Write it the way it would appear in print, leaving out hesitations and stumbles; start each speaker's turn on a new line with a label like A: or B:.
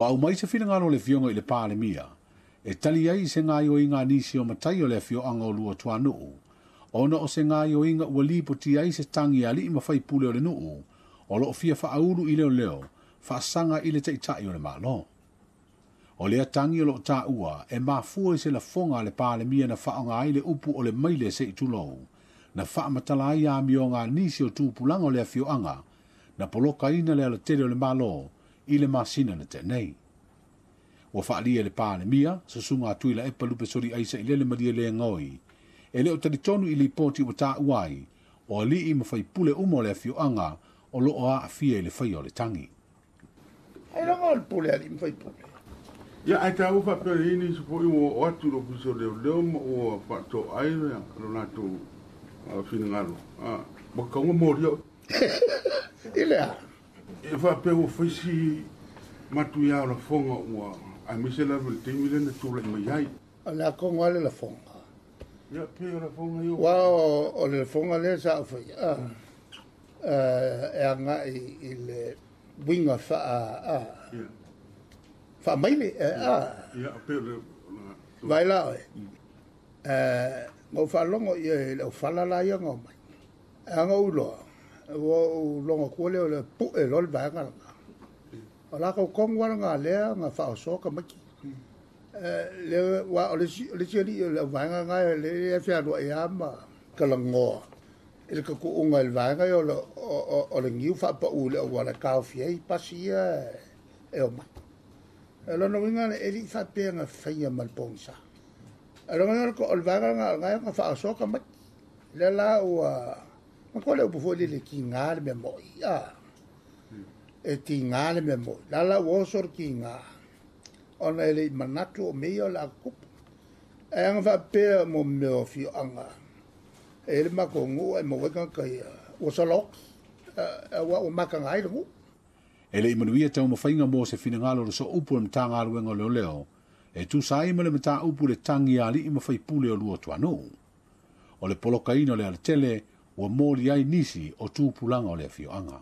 A: Ua aumai se finagalo o le Afioga i le Palemia e tali ai i se gaoioiga a nisi o matai o le afioaga o Luatuanuu, ona o se gaoioiga ua lipotia ai se tagi a alii ma faipule o le nuu o lo o fia faaulu i leoleo faasaga i le Taitai o le Malo. O lea tagi o lo o taua e mafua i se lafoga a le Palemia na faaaoga ai le upu o le maile se i tulou, na faamatala ai amioga a nisi o tupulaga o le afioaga na polokaina le alatele o le Malo i le masina na tea nei. Ua faaalia e le Palemia, Susuga a Tuilaepa Lupesoliai Sailele Malielegaoi, e le o talitonu i lipoti ua taua ai o alii ma faipule uma o le afioaga o lo o aafia i le faia o le tagi.
B: Ailoga o le pule a alii ma faipule.
C: Ia, ae taua faapea e i ai nisi foi ua oo atu i le Ofisa o Leoleo ma ua faatoai lo latou finagalo, ua tatau ona molia oe.
B: I le a?
C: E faapea ua fai si matuia o lafoga ua, aemaise lava i le taimi lea na tulai mai ai.
B: O le a tonu lava le lafoga?
C: Ia, pei o lafoga ia.
B: Aua o le lafoga lea sa ou faia, e agai i le uiga faa, faamaile.
C: Ia, pei o le.
B: Vaai la oe, na ou faalogo i le aufala la ia na omai. A na ou iloa, ua ou logo atua lea o le pue loa le vaega lena. O latou tonu lava lena lea na faaosoa tamaiti. Lea, aua o le isi alii o le auvaega lena lea e fealuai lava ma talanoa i le tatuuga i le vaega ia o le niu faapau i le auala e taofi ai pasi ia e omai. O lona uiga e le i faapea na faia ma le pogisa. O lona uiga o le vaega lena o lena na faaosoa tamaiti. Lea la ua matua le upu foi lele e tiga le mea moi. E tiga le mea moi. La la ua oso le tiga ona e le i manatu o mea ia o le a tutupu. Ae ana faapea mo mea o afioaga e i le matou nuu ae maua ai tagata ia ua sola oti aua ua mataga ai le nuu.
A: E le i manuia taumafaiga mo se finagalo o le Sooupu o le Matagaluega o Leoleo e tusa ai ma le mataupu i le tagi a alii ma faipule o Luatuanuu. O le polokaina o le alatele ua moli ai nisi o tupulaga o le afioaga.